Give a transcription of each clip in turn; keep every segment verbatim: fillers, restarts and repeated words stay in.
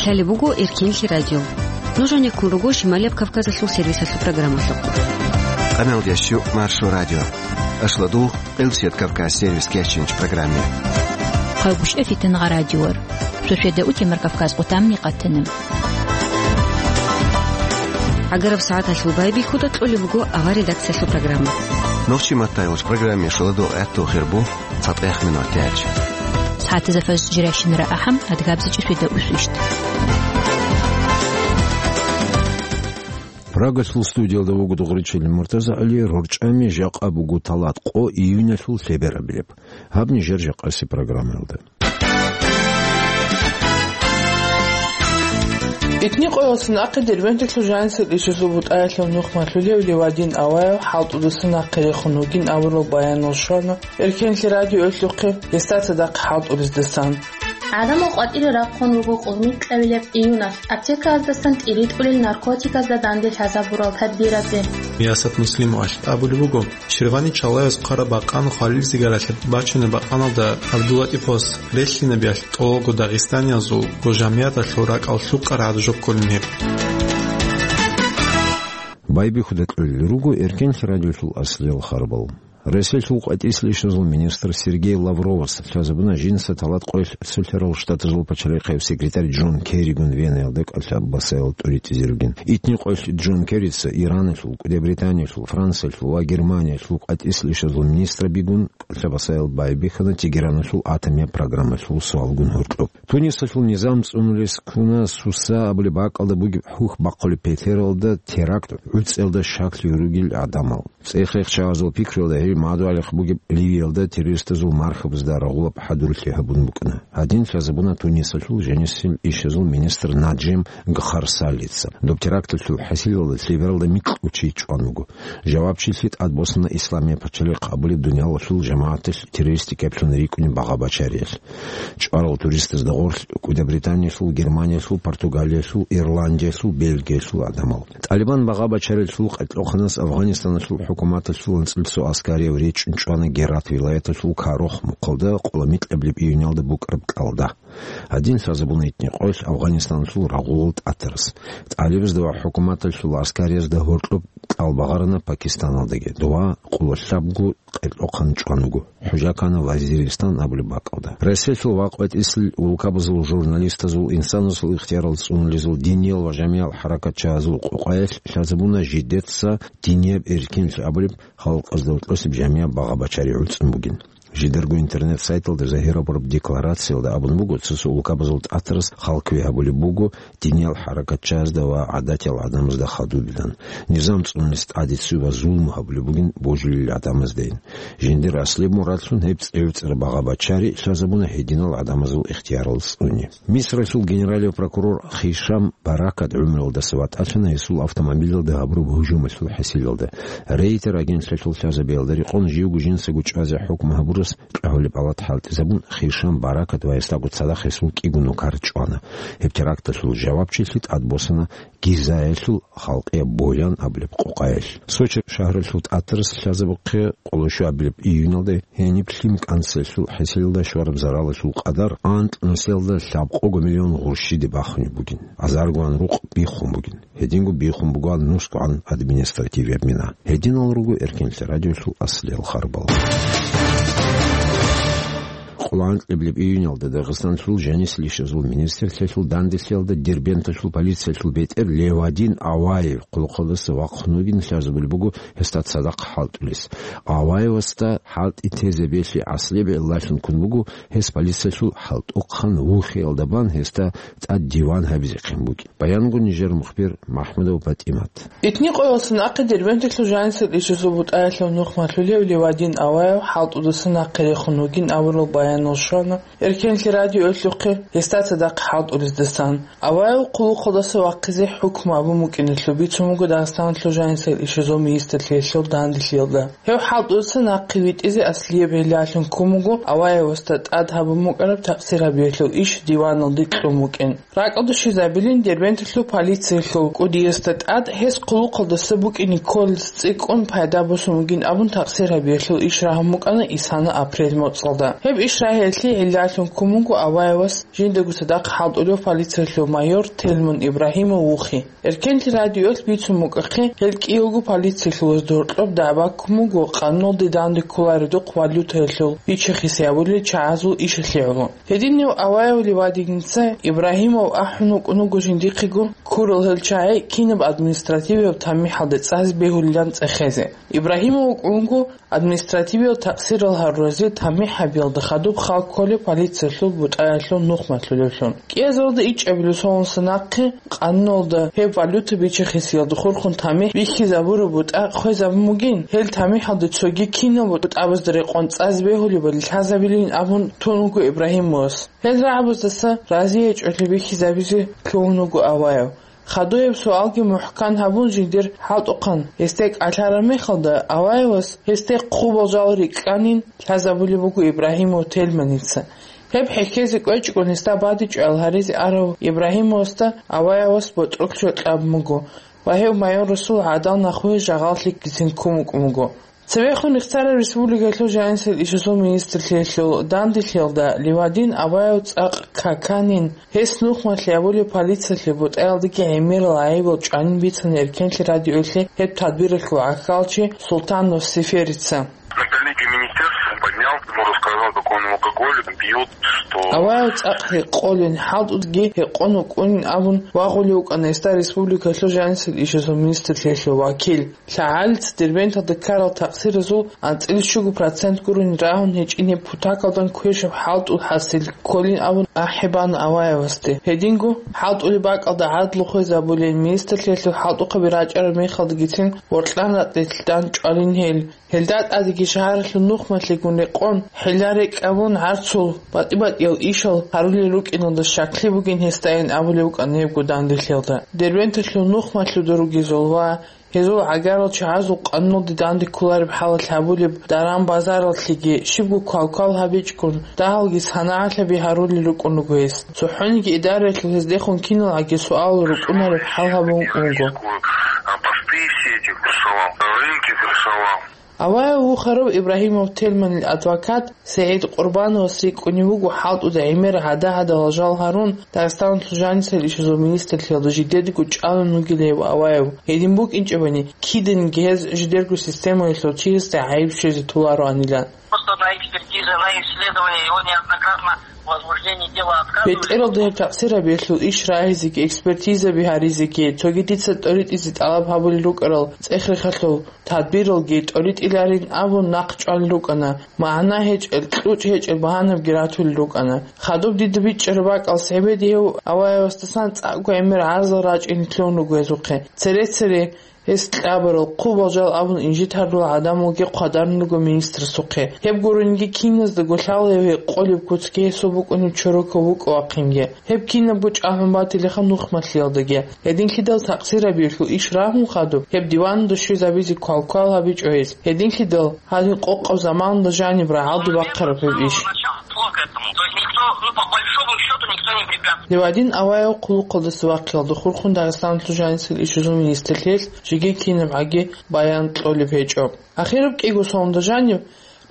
Лъалеб буго Эркенлъи радио. Нуж гьанеккун руго Шималияб Кавказалъул сервисалъул программалъухъ. Къаналдияс щу Маршо радио. Ашладул Къилсият Кавказ сервис кечинч программе. Хъалгушев Фитнагъа радиор. Суседа утемар Кавказ къутамни къатана. Агараб сагӀаталъул байбихьуда кьолеб буго авар редакциялъул программа. Нохчи маттайулч программе шуладул гӀатту хирбу. ЦатӀех минут тяч. СагӀатазда фажр жиращинара ахӀам, адгабзичӀи светаусвищ. Прагалъул студиялда вуго Дугъричилин МуртазагӀали. РорчӀами жакъа буго талат къо июнялъул лъеберабилеб. Гьаб нижер жакъаси программаялда. Итни къоялъ нахъе Дербенталъул жанисел ишазул бутӀаялъул нух малъулев Левадин Аваев хӀалтӀудаса нахъе рехун вугин абурал баянал щвана Эркенлъи радиоялъухъе, гьесда цадахъ хӀалтӀулездасан. ГӀадамал къватӀире рахъун руго къулмикьабилеб июналъ аптеказдасан тӀиритӀулел наркотиказда данде лъазабурал тадбиразе. Миясат Муслимовалъ абулеб буго, Ширвани чалаялъ хъвараб бакъан хвалил сигаралъа бачунеб бакъаналда ГӀабдуллатӀиповас релълъинабиялъ тӀолго дагъистаниязул ва жамигӀаталъул ракӀал лъукъарагӀат жо кколин гьеб. Байбихьуда кьолел руго Эркенлъи радиолъул аслиял харбал. Россиялъул къватӀислъи ишазул министр Сергей Лавровас лъазабуна жинца талат къоялъ Цолъарал Штатазул пачалихъав секретарь Джон Керригун Венаялда кӀалъа-басаял тӀуритӀизе ругин. Итни къоялъ Джон Керрица Ираналъул, КӀудиябританиялъул, Франциялъул ва Германиялъул къватӀислъи ишазул министрабигун кӀалъа-басаял байбихьана Тегераналъул атомияб программалъул суалгун гьоркьоб. Тунисалъул низам цӀунулес ккуна Суса абулеб бакӀалда бугеб хӀухь бахъулеб петералда теракт гӀуцӀиялда щаклъи ругел гӀадамал. ЦӀех-рехчагӀазул пикруялда гьеб мадугӀалихъ бугеб Ливиялда террористазул мархабазда рагъулаб хӀадурлъи гьабун букӀана. Гьадин лъазабуна Тунисалъул жанисел ишазул министр Наджем Гхарсалица. Доб теракталъул хӀасилалда лъебералда микьго чи чӀван вуго. Жавабчилъи тӀадбосана Исламияб пачалихъ абулеб дуниялалъул жамагӀаталъ террористикаблъун рикӀкӀунеб багъа-бачариялъ. ЧӀварал туристазда гъорлъ КӀудиябританиялъул, Германиялъул, Португалиялъул, Ирландиялъул, Бельгиялъул гӀадамал. ТӀалибан багъа-бачарилъул къайкьухъанас Афганистаналъул хӀукуматалъул анцӀил цо аскарияв речӀчӀун чӀвана Герат вилаяталъул Карох мухъалда къоло микьабилеб июнялда букӀараб кӀалда. Гьадин лъазабуна итни къоялъ Афганистаналъул рагъулал тӀатарас. ТӀалибазда ва хӀукуматалъул аскариязда гьоркьоб кӀал багъарана Пакистаналдаги, дова къоло лъабго къайкьухъан чӀван вуго. ХӀужа ккана Вазиристан абулеб бакӀалда. Россиялъул ва къватӀислъи улкабазул журналистазул, инсанасул ихтиярал цӀунулезул, диниял ва жамигӀал хӀаракатчагьазул къокъаялъ лъазабуна жидеца динияб эркенлъи абулеб халкъазда гьоркьосеб жамигӀаб багъа-бачари гӀуцӀун бугин. Жидарго интернет-сайталда загьирабураб декларациялда абун буго, цо-цо улкабазул тӀатарас халкъ гьабулеб буго диниял хӀаракатчагьазда ва гӀадатиял гӀадамазда хадубилан. Низам цӀунулес тӀаде цо ва зулму гьабулеб бугин божилел гӀадамаздайин. Жиндир аслияб мурадлъун гьеб цӀи-, цӀерцӀара багъа-бачари лъазабуна гьединал гӀадамазул ихтиярал цӀуни. Мисралъул генералияв прокурор Хишам Баракат гӀумруялдаса ватӀалъана гьесул автомобилалда гьабураб гьужумалъул хӀасилалда. Рейтер агентлъиялъул лъазабиялда рекъон живго жинцаго чӀвазе хӀукму гьабурас кьагьулеб палат хӀалтӀизабун, Хишам Баракат ва гьесдаго цадахъ гьесул кӀиго нукар чӀвана. Гьеб теракталъул жавабчилъи тӀадбосана Гизаялъул халкъияб Боян абулеб къокъаялъ. Сочи шагьаралъул тӀатарас лъазабухъе къоло щуабилеб июнялда гьениб лъим кӀанцӀиялъул хӀасилалда щвараб заралалъул къадар анкь нусиялда лъабкъого миллион гъурщиде бахунеб бугин, азаргоан рукъ биххун бугин. Гьединго биххун бугоан нусгоан административияб мина. Гьединал руго Эркенлъи радиолъул аслиял харбал. Къоло анкьабилеб июнялда Дагъистанлъул жанисел ишазул министрлъиялъул данделъиялда Дербенталъул полициялъул бетӀер Левадин Аваев къулухъалдаса вахъун вугин лъазабулеб буго гьесда цадахъ хӀалтӀулес. Аваевасда хӀалтӀи тезе белъи аслияб гӀиллалъун ккун буго, гьес полициялъул хӀалтӀухъан вухиялда бан гьесда тӀад диван гьабизехъин букӀин. Баянгун нижер мухбир МахӀмудов ПатӀимат. Итни къоялъ нахъе Дербенталъул жанисел ишазул бутӀаялъул нух малъулев Левадин Аваев хӀалтӀудаса нахъе рехун вугин абурал баянал щвана Эркенлъи радиоялъухъе гьесда цадахъ хӀалтӀулездасан. Аваев къулухъалдаса вахъизе хӀукму абун букӀиналъул бицун буго Дагъистаналъул жанисел ишазул министрлъиялъул данделъиялда. Гьев хӀалтӀудаса нахъе витӀизе аслияб гӀиллалъун ккун буго Аваевасда тӀад гьабун букӀараб такъсир гьабиялъул иш диваналде кьун букӀин. РакӀалде щвезабилин Дербенталъул полициялъул кӀудиясда тӀад гьес къулухъалдаса букӀине кколел цӀикӀкӀун пайда босун бугин абун такъсир гьабиялъул иш рагьун букӀана исана апрель моцӀалда. Гьеб иш Гьелъие гӀиллалъун ккун буго Аваевас жиндаго цадахъ хӀалтӀулев полициялъул майор Тельман Ибрагьимов вухи. Эркенлъи радиоялъ бицун букӀахъе, гьел кӀиявго полициялъул гьоркьоб дагӀба ккун буго къануналде данде кколаредухъ валютаялъул бича-хиси гьабулел чагӀазул ишалъе гӀоло. Гьединав Аваев Ливадиница Ибрагьимов ахӀун вукӀун вуго жиндихъего ккурал гьел чагӀи кинаб административияб тамихӀалде цӀазе бегьулилан цӀехезе. Ибрагьимов вукӀун вуго административиял такъсирал гьаруразе тамихӀ гьабиялда хадуб хал кколеб полициялъул бутӀаялъул нухмалъулевлъун. КӀиазалда ичӀабилеб соналдаса нахъе къануналда гьеб валюта бича-хисиялда хурхун тамихӀ бихьизабураб бутӀа хвезабун бугин, гьел тамихӀалда цоги кинал бутӀабазда рекъон цӀазе бегьулебали лъазабилин абун тун вуго Ибрагьимовас. Гьел рагӀабаздаса разиячӀолъи бихьизабизе лъугьун вуго Аваев. Хадуяб суалги мухӀкан гьабун жиндир хӀалтӀухъан гьесде кӀалъараб мехалда, Аваевас гьесде хъубал жал рикӀкӀанин лъазабулеб буго Ибрагьимов Тельманица. Гьеб хӀехьезе кӀвечӀого гьесда бадибчӀваял гьаризе арав Ибрагьимовасда Аваевас ботӀролъ кьабун буго ва гьев майор Расул гӀадал нахуе жагъаллъигицин ккун вукӀун вуго. Цевехун рехсараб республикалъул жанисел ишазул министрлъиялъул данделъиялда Ливадин Аваев цӀакъ каканин, гьес нухмалъи гьабулеб полициялъе бутӀаялдаги гӀемерал гӀайибал чӀванин бицана Эркенлъи радиоялъе гьеб тадбиралъул гӀахьалчи Султанов Сеферица. На коллегию министерства поднял, ему рассказал, какой он алкоголик, пьет, что Аваев цӀакъ гьекъолин, хӀалтӀудги гьекъон вукӀунин абун вагъулев вукӀана гьесда республикалъул жанисел ишазул министрлъиялъул вакил. ЛъагӀалица Дербенталда ккарал такъсиразул анцӀила щуго процент гурони рагьун гьечӀин гьеб путакалдан квешаб хӀалтӀул хӀасил кколин абун ахӀи бана Аваевасде. Гьединго хӀалтӀулеб бакӀалда гӀадлу хвезабулин, министрлъиялъул хӀалтӀухъаби рачӀараб мехалдагицин воркьан-ратӀлилъ дандчӀвалин гьел. Гьелда тӀадеги шагьаралъул нухмалъигун рекъон, хӀилла-рекӀкӀ гьабун гӀарцул, батӀи-батӀиял ишал гьарулел рукӀиналда щаклъи бугин гьесдайин абулев вукӀана гьебго данделъиялда. Дербенталъул нухмалъуда ругезул ва гьезул гӀагарал чагӀазул къануналде данде кколареб хӀалалъ гьабулеб даран-базараллъиги щибго квалквал гьабичӀгун, дагьалги санагӀалъаби гьарулел рукӀун руго гьес. ЦохӀониги идараялъул гьездехун киналгӀаги суал рукӀунареб хӀал гьабун вуго. А посты все эти крышевал, рынки крышевал. Аваев вухарав Ибрагьимов Тельманил адвокат СигӀид Къурбановас рикӀкӀунев вуго хӀалтӀуда гӀемер гӀада-гӀадала жал гьарун, Дагъистаналъул жанисел ишазул министрлъиялда жидедаго чӀалун вугилев Аваев. Гьедин букӀинчӀебани, киданиги гьез жидерго системаялъул чиясда гӀайиб щвезе толароанилан. Просто на экспертизе, на исследование его неоднократно возбуждение дела отказывали. БетӀералда гьеб такъсирабиялъул иш рагьизеги, экспертизаби гьаризеги, цоги дица тӀоритӀизе тӀалаб гьабулел рукӀарал цӀех-рехалъул тадбиралги тӀоритӀиларин абун нахъ чӀвалел рукӀана, магӀна гьечӀел, кьучӀ гьечӀел багьанабги ратулел рукӀана. Хадуб дида бичӀчӀараб бакӀалъ гьебеде гьев Аваевасдасан цӀакъго гӀемер гӀарзал рачӀине лъугьун руго гьезухъе. Цере-цере гьес кьабарал, хъубал жал абун инжит гьарулел гӀадамалги хъвадарун руго министрасухъе. Гьеб гурунги киназдаго лъала гьев гьекъолеб куцги гьесул букӀунеб чорокав вукӀа-вахъинги. Гьеб кинабго чӀалгӀун батилаха нухмалъиялдаги. Гьединлъидал такъсирабиялъул иш рагьун хадуб, гьеб диванада щвезабизе квалквал гьабичӀо гьес. Гьединлъидал гьадин къокъаб заманалда жаниб рагӀалде бахъараб гьеб иш. Плохо этому. То есть никто, ну, по большому счету никто не препятствует. Ливадин Аваев хъулухъалдаса вахъиялда хурхун Дагъистаналъул жанисел ишазул министрлъиялъ жеги кинабгӀаги баян кьолеб гьечӀо. Ахираб кӀиго соналда жанив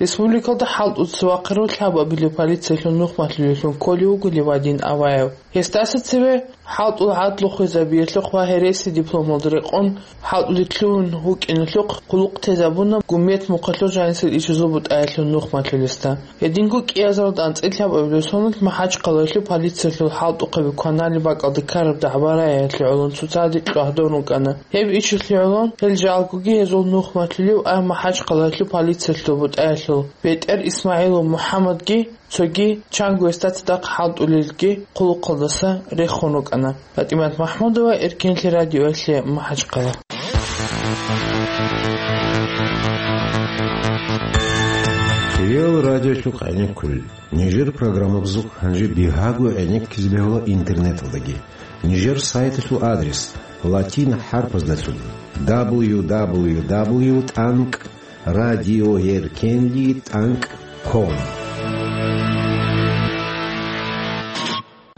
республикалда хӀалтӀуца вахъарав лъабабилев полициялъул нухмалъулевлъун кколев вуго Ливадин Аваев. Гьесдаса цеве хӀалтӀул гӀадлу хвезабиялъухъ ва гьереси дипломалда рекъон хӀалтӀулде лъугьун вукӀиналъухъ хъулухъ тезабуна Гумет мухъалъул жанисел ишазул бутӀаялъул нухмалъулесда. Гьединго кӀиазаралда анцӀила лъабабилеб соналъ МахӀачхъалаялъул полициялъул хӀалтӀухъаби кваналеб бакӀалда ккараб дагӀба-рагӀиялъе гӀолон цоцазе чӀвагьдон рукӀана. Гьеб ишалъе гӀолон гьел жалгоги гьезул нухмалъулев ай МахӀачхъалаялъул полициялъул бутӀаялъул БетӀер ИсмагӀилов МухӀаммадги цоги чанго гьесда цадахъ хӀалтӀулелги хъулухъалдаса рехун рукӀана. ПатӀимат МахӀмудова, Эркенлъи радиоялъе, МахӀачхъала. Реал радиолъухъ гӀенеккулел. Нижер программабазухъ гьанже бигьаго гӀенеккизе бегьула интернеталдаги. Нижер сайталъул адрес латин хӀарпаздалъун: дабл ю дабл ю дабл ю тӀанкӀ радиоеркенлъи тӀанкӀ ком.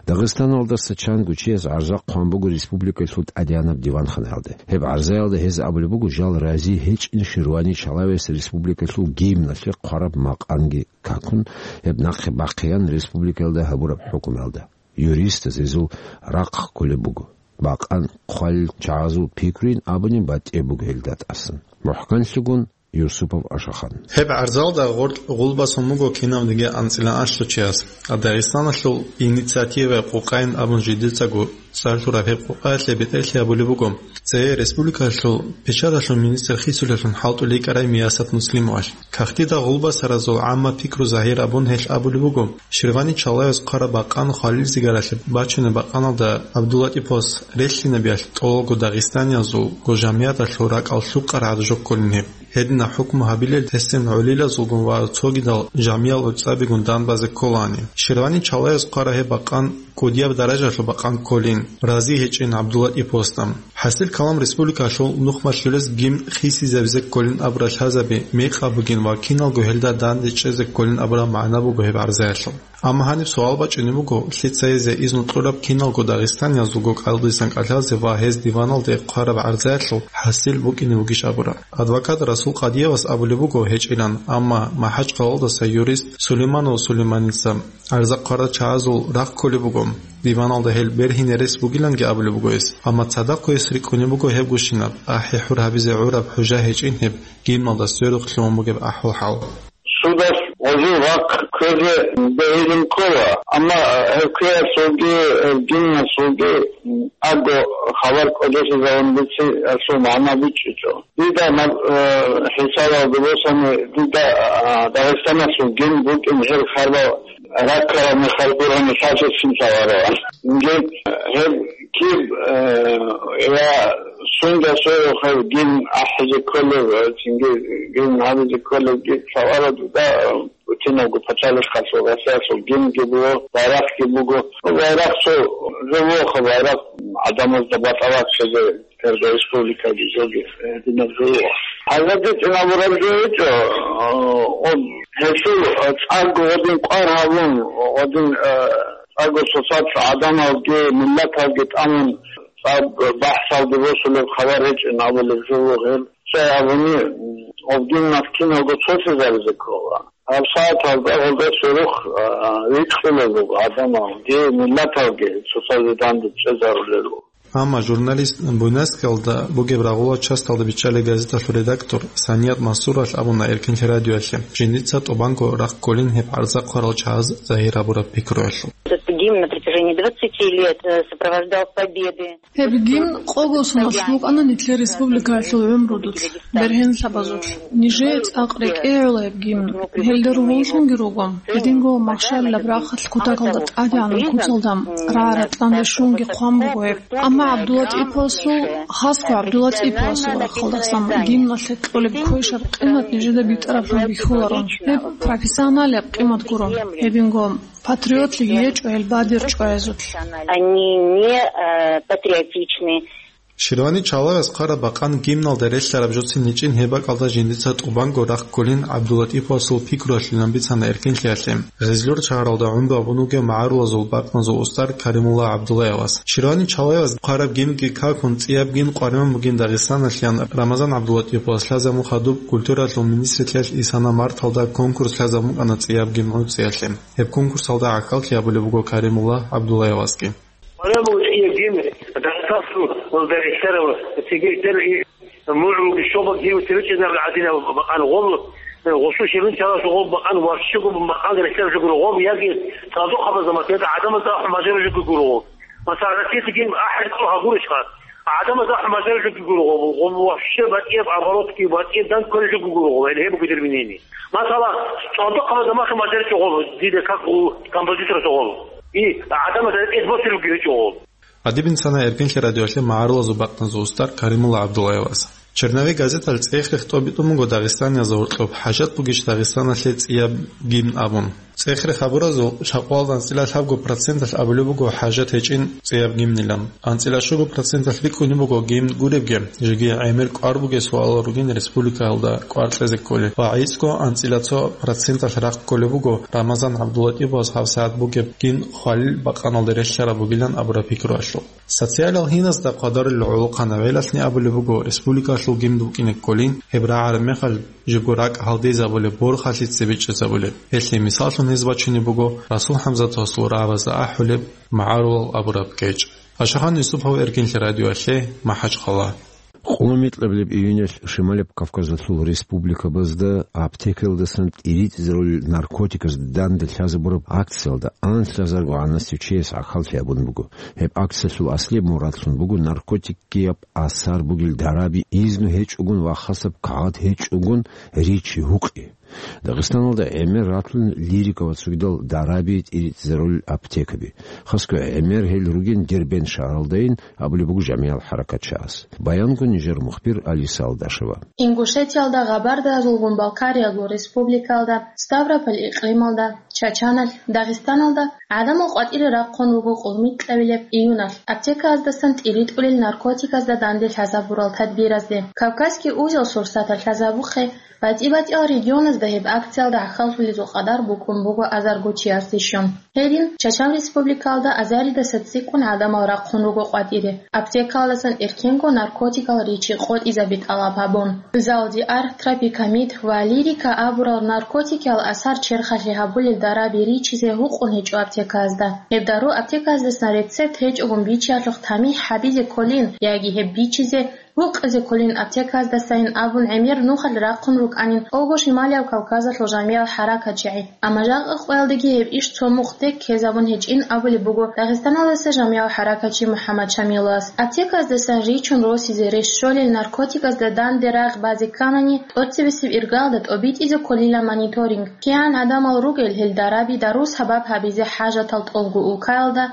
Дагъистаналдаса чанго чияс гӀарза хъван буго республикалъул тӀадегӀанаб диванханаялде. Гьеб гӀарзаялда гьез абулеб буго жал рази гьечӀин Ширвани Чалаевас республикалъул гимналъе хъвараб макъанги какун, гьеб нахъе бахъеян республикаялда гьабураб хӀукумалда. Юристаз гьезул рахъ кколеб буго. Бакъан хъвалел чагӀазул пикруйин абунин батӀияб буго гьелда тӀасан. МухӀканлъигун Юсупов Ашахан. Гьеб гӀарзалда гъоркь гъулбасун буго кинавниги анцӀила анлъго чияс. Дагъистаналъул инициативаялъ къокъайин абун жидецаго цӀалъураб гьеб къокъаялъе бетӀерлъи гьабулеб буго цее республикалъул печаталъул министр хисулелъун хӀалтӀулей кӀарай Миясат Муслимовалъ. Кагътида гъулбасаразул гӀамма пикру загьир абун гьелъ абулеб буго, Ширвани Чалаевас хъвараб бакъан хвалил зигаралъе бачунеб бакъаналда ГӀабдуллатӀиповас релълъинабиялъ тӀолго дагъистаниязулго жамигӀаталъул ракӀал лъукъарагӀат жо кколин гьеб. Гьединаб хӀукму гьабилел тесен гӀолилазулгун ва цогидал жамиял гӀуцӀабигун данбазе кколаани. Ширвани Чалаевас хъвараб гьеб бакъан кӀудияб даражалъул бакъан кколин, рази гьечӀин ГӀабдуллатӀиповасда. ХӀасил калам республикалъул нухмалъулез гимн хисизабизе кколин абурал лъазаби мекъаб бугин ва киналго гьелда данде чӀезе кколин абураб магӀна буго гьеб гӀарзаялъул. Амма гьаниб суал бачӀунеб буго, лъица гьезие изну кьураб киналго дагъистаниязулго кӀалдисан кӀалъазе ва гьез диваналде хъвараб гӀарзаялъул хӀасил букӀине вугищ абураб. Адвокат Расул Къадиевас абулеб буго гьечӀилан, амма МахӀачкъалалдаса юрист Сулейманов Сулейманица гӀарза хъварал чагӀазул рахъ кколеб буго. Диваналда гьел бергьине рес бугиланги абулеб буго гьес, амма цадахъ гьес рикӀкӀунеб буго гьеб гущинаб, ахӀи-хӀур гьабизе гӀураб хӀужа гьечӀин гьеб гимналда сверухълъун бугеб ахӀвал-хӀал. Судалъ гъозул рахъ кквезе бегьилин ккола, амма гьеб кквеялъулги, гьеб гимналъулги аго хабар кӀодолъизавун бициялъул магӀна бичӀчӀичӀо. Дида наб, э, хӀисабалда босани, дида, а, Дагъистаналъул гимн букӀин гьел харбал раккараб мехалъ гурони лъалъе цин лъаларо. Гьеб, гьеб киб, э, я сунда союхъев гимн ахӀизе кколев, э, цинги гимн гьабизе кколев гиб лъаларо дуда, э, бутинавго пачалихъалъул Россиялъул гимнги буго, байрахъги буго. Ну, байрахъ цо жо вохъа, байрахъ гӀадамазда батӀа бахъизе. Гьеб республикаги жоги, э, динаб жо. Гьазаб бицинабураб жо гьечӀо, э, гьелъул, э, цӀакъго гъодин кӀвар гьабун, гъодин, э, цӀакъго цоцазда гӀадамалги, миллаталги тӀамун цӀакъ бахӀсалде босулеб хабар гьечӀин абулеб жо гьеб. Цо гьабуни, м, гъобгин маскиналго цолъизаризе ккола. Гьаб сагӀаталда гъолда сверухъ, э, рикӀкӀунел руго гӀадамалги, миллаталги цоцазе данде чӀезарулел руго. Амма журналист Буйнакскиялда бугеб рагъулал часталда биччалеб газеталъул редактор Саният Мансуралъ абуна Эркинлъи радиоялъе, жиндица тӀубанго рахъ кколин гьеб гӀарза хъварал чагӀаз загьир гьабураб пикруялъул. Этот гимн на протяжении двадцати лет, э, сопровождал победы. Гьеб гимн къого соналъ букӀана нилъер республикаялъул гӀумрудулъ, бергьенлъабазулъ. Нижее цӀакъ рекӀее гӀола гьеб гимн. Гьелда ругьунлъунги руго. Гьединго махщалилаб рахъалъ кутакалда тӀадегӀанаб куцалда рагӀа-ратӀлъан рещунги хъван буго гьеб. Амма ГӀабдуллатӀиповасул, хасго ГӀабдуллатӀиповасул рахъалдасан гимналъе кьолеб квешаб къимат нижеда битӀараблъун бихьуларо. Гьеб профессионалияб къимат гуро. Гьединго патриотлъиги гьечӀо гьел бадир чӀваязулъ. Они не, э, патриотичны. Ширвани Чалаевас хъвараб бакъан гимналда релълъараб жоцин гьечӀин гьеб бакӀалда жиндица тӀубанго рахъ кколин ГӀабдуллатӀиповасул пикруялъилан бицана Эркинлъиялъе. Гъезлъур шагьаралда гӀумру гьабун вугев МагӀарулазул бакӀназул устар Каримулла ГӀабдуллаевас. Ширвани Чалаевас хъвараб гимги какун, цӀияб гимн къваригӀун бугин Дагъистаналъ ян Рамазан ГӀабдуллатӀиповас лъазабун хадуб культуралъул министрлъиялъ Исана марталда конкурс лъазабун букӀана цӀияб гимн гӀуцӀиялъе. Гьеб конкурсалда гӀахьаллъи гьабулеб буго Каримулла ГӀабдуллаевасги. Гьаниб гьечӀеб гимн Дагъистаналъул ва Дагъистаналъул цере тӀерги мугӀрулги щолбаг гьев цеве чӀезарулел гӀадинаб бакъан гъоб, гъосул ширин чаласул гъоб бакъан ващчӀого бакъан рехсараб жо гуро гъоб, яги цӀалдохъабазда, масала, гӀадамазда ахӀун бажараб жо гуро гъоб. Масала, Россиялъул гимн ахӀи цо гьагурищха? ГӀадамазда ахӀун бажараб жо гуро гъоб, гъоб ващчӀа батӀияб оборотги, батӀияб дандчӀвараб жо гуро гъоб, гьеб буго дир мнение. Масала, цӀалдохъабазда махъе мажаричӀо гъоб, дида как у композитора гъоб. И гӀадамазда эс босулебги гьечӀо гъоб. Гьадиб бицана Эркинлъи радиоялъе МагӀарулазул бакӀназул устар Каримулла ГӀабдуллаевас. Черновик газеталъ цӀех-рех тӀобитӀун буго Дагъистаниязда гьоркьоб хӀажат бугищ Дагъистаналъе цӀияб гимн абун. ЦӀехрехъ гьабуразул шакъвалда анцӀила лъабго проценталъ абулеб буго хӀажат гьечӀин цӀияб гимнилан. АнцӀила щуго проценталъ рикӀкӀунеб буго гимн гуребги, жеги гӀемер кӀвар бугеб суалал ругин республикаялда кӀвар кьезе кколел ва гӀицӀго анцӀила цо проценталъ рахъ кколеб буго Рамазан ГӀабдуллатӀиповас гьабсагӀат бугеб гимн хвалил бакъаналда релълъараб бугилан абураб пикруялъул. Социалал гьиназда хъвадарулел гӀолохъанав гӀелалъни абулеб буго республикалъул гимн букӀине кколин, гьеб рагӀараб мехалъ жибго ракӀ гьалдизабулеб, борхалъица бичӀчӀизабулеб. Гьелъие мисаллъун гьез бачунеб буго Расул ХӀамзатовасул рагӀабазда ахӀулеб МагӀарулал абураб кечӀ. Ашахан Юсупов, Эркинлъи радиоялъе, МахӀачхъала. Къоло микьабилеб июньалъ Шималаб Кавказалъул республикабазда аптекаялдасан тӀиритӀизарулел наркотиказ данде лъазабураб акциялда анлъазарго гӀанасев чияс гӀахьаллъи гьабун буго. Гьеб акциялъул аслияб мурадлъун буго наркотикияб асар бугел дараби изну гьечӀогун ва хасаб кагъат гьечӀогун ричи гьукъи. Дагъистаналда гӀемер ратун Лирика ва цогидал дараби тӀиритӀизарулел аптекаби. Хасго гӀемер гьел ругин Дербент шагьаралдайин, абулеб буго жамигӀал хӀаракатчияс. Баянго нижер мухбир Алиса Алдашева. Ингушетиялда, Гъабардаязулгун Балкариялъул республикаялда, Ставрополь икълималда, Чачаналъ, Дагъистаналда гӀадамал къватӀире рахъун руго къулмикьабилеб июналъ аптеказдасан тӀиритӀулел наркотиказда данде лъазабурал тадбиразде. Кавказский узел сурсаталъ лъазабухъе, батӀи-батӀиял регионазда гьеб акциялда гӀахьаллъулезул къадар букӀун буго азарго чиясде щун. Гьедин, Чачан республикаялда азаридаса цӀикӀкӀун гӀадамал рахъун руго къватӀире, аптекаялдасан эркенго наркотикал ричи къотӀизаби тӀалаб гьабун. Залдиар, тропикамид ва лирика абурал наркотикиял асар черхалъи гьабулел дараби ричизе гьукъун гьечӀо аптекаязда. Гьеб дару аптеказдасан рецепт гьечӀогун бичиялъухъ тамихӀ гьабизе кколин яги гьеб бичизе гьукъизе кколин аптеказдасайин абун гӀемер нухалъ рахъун рукӀанин Огошималияб Кавказалъул жамигӀал хӀаракатчигӀи. Амма жакъа къоялдаги гьеб иш цо мухъ тек ккезабун гьечӀин абулеб буго Дагъистаналдаса жамигӀал хӀаракатчи МухӀаммад Шамиловас. Аптеказдасан ричун росизе рес щолел наркотиказда данде рагъ базе кканани, тӀоцебесеб иргаялда тӀобитӀизе кколила мониторинг. КигӀан гӀадамал ругел гьел дараби дару сабаб гьабизе хӀажатал тӀолго улкаялда,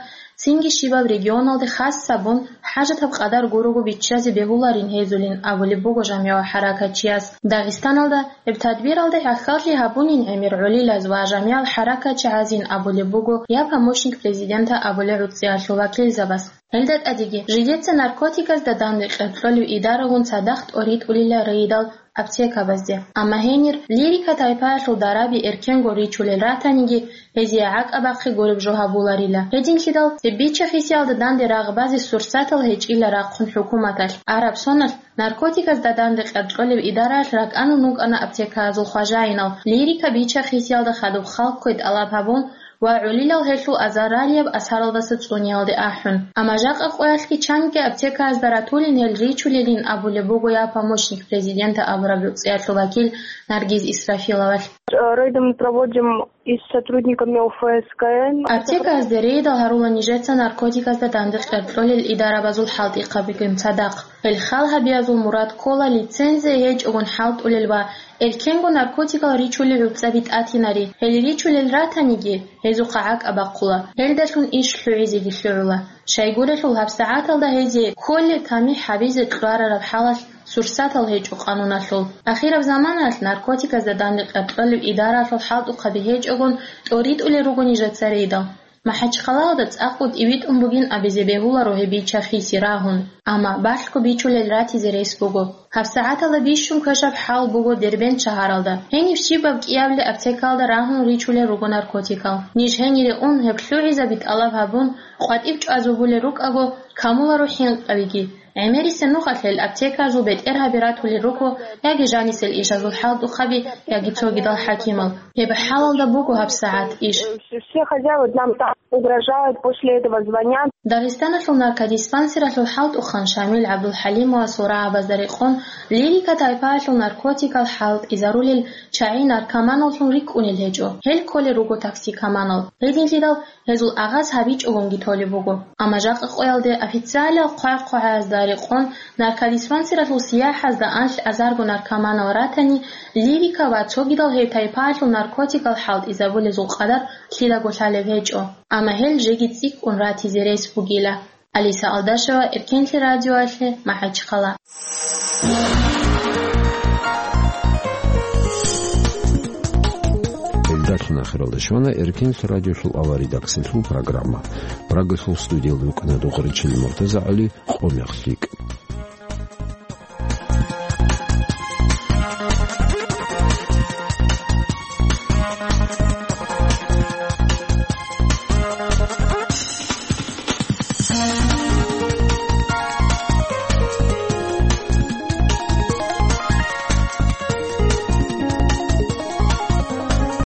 цинги щибаб регионалде хас гьабун, хӀажатаб къадар гурого биччазе бегьуларин гьезулин абулеб буго жамигӀал хӀаракатчияс. Дагъистаналда гьеб тадбиралда гӀахьаллъи гьабунин гӀемер гӀолилаз ва жамигӀал хӀаракатчигӀазин абулеб буго я помощник президента абулеб гӀуцӀиялъул вакилзабаз. Гьелда тӀадеги, жидеца наркотиказда данде кьеркьолев идарагун цадахъ тӀоритӀулила рейдал аптекабазде. Амма гьенир лирика тайпаялъул дараби эркенго ричулел ратаниги, гьезие гӀакӀабахъе гуреб жо гьабуларила. Гьединлъидал цебе бича-хисиялда данде рагъ базе сурсатал гьечӀила рахъун хӀукуматалъ. Араб соналъ наркотиказда данде кьеркьолеб идараялъ ракӀанун рукӀана аптекаязул хважаинал, лирика бича-хисиялда хадуб халкъ кквей тӀалаб гьабун, ва гӀолилал гьелъул азаралияб асаралдаса цӀуниялде ахӀун. Амма жакъа къоялъги чанги аптекаязда ратулин гьел ричулелин абулеб буго я помощник президента абураб гӀуцӀиялъул вакил Наргиз Исрафиловалъ. Рейды мы проводим и с сотрудниками О Ф С К Н. Аптекаязде рейдал гьарула нижеца наркотиказда данде кьеркьолел идарабазул хӀалтӀихъабигун цадахъ. Гьел хал гьабиязул мурад ккола лицензия гьечӀогун хӀалтӀулел ва эркенго наркотикал ричулел гӀуцӀаби тӀатинари. Гьел ричулел ратаниги, гьезухъа гӀакӀа бахъула, гьелдалъун иш лъугӀизеги лъугӀула. Щайгурелъул гьабсагӀаталда гьезие кколеб тамихӀ гьабизе кьварараб хӀалалъ сурсатал гьечӀо къануналъул. Ахираб заманаялъ наркотиказда данде кьеркьолеб идараялъул хӀалтӀухъаби гьечӀогун тӀоритӀулел руго нижеца рейдал. МахӀачхъалаялда цӀакъго тӀибитӀун бугин абизе бегьуларо гьеб бича-хиси рагьун, амма балъго бичулел ратизе рес буго. ГьабсагӀаталда бищун квешаб хӀал буго Дербент шагьаралда. Гьениб щибаб кӀиабилеб аптекалда рагьун ричулел руго наркотикал. Ниж гьенире ун гьеб лъугӀизаби тӀалаб гьабун, къватӀиб чӀвазабулел рукӀаго, камуларо хӀинкъабиги. ГӀемерисеб нухалъ гьел аптекаялъул бетӀергьаби ратулел руго яги жанисел ишазул хӀалтӀухъаби, яги цогидал хӀакимал. Гьеб хӀалалда буго гьабсагӀат иш. Все хозяева нам там угрожают, после этого звонят. Дагъистаналъул наркодиспансералъул хӀалтӀухъан Шамил ГӀабдулхӀалимовасул рагӀабазда рекъон, лирика тайпаялъул наркотикал хӀалтӀизарулел чагӀи наркоманаллъун рикӀкӀунел гьечӀо. Гьел кколел руго токсикоманал. Гьединлъидал гьезул агъаз гьабичӀогонги толеб буго. Амма жакъа къоялде официалиял хъвай-хъвагӀазда рекъон наркодиспансералъул сияхӀазда анлъ азарго наркоманал ратани, лирика ва цогидал гьеб тайпаялъул наркотикал хӀалтӀизабулезул къадар лъидаго лъалеб гьечӀо. Амма гьел жеги цӀикӀкӀун ратизе рес бугила. Алиса Алдашева, Эркенлъи радиоялъе, МахӀачхъала. Гьелдалъ Ахиралда щвана Эркенлъ радиолъул авария редакциялъул программа. Прагалъул студиялда вукӀана Дугъричил МуртазагӀали, «Къо мех лъикӀ».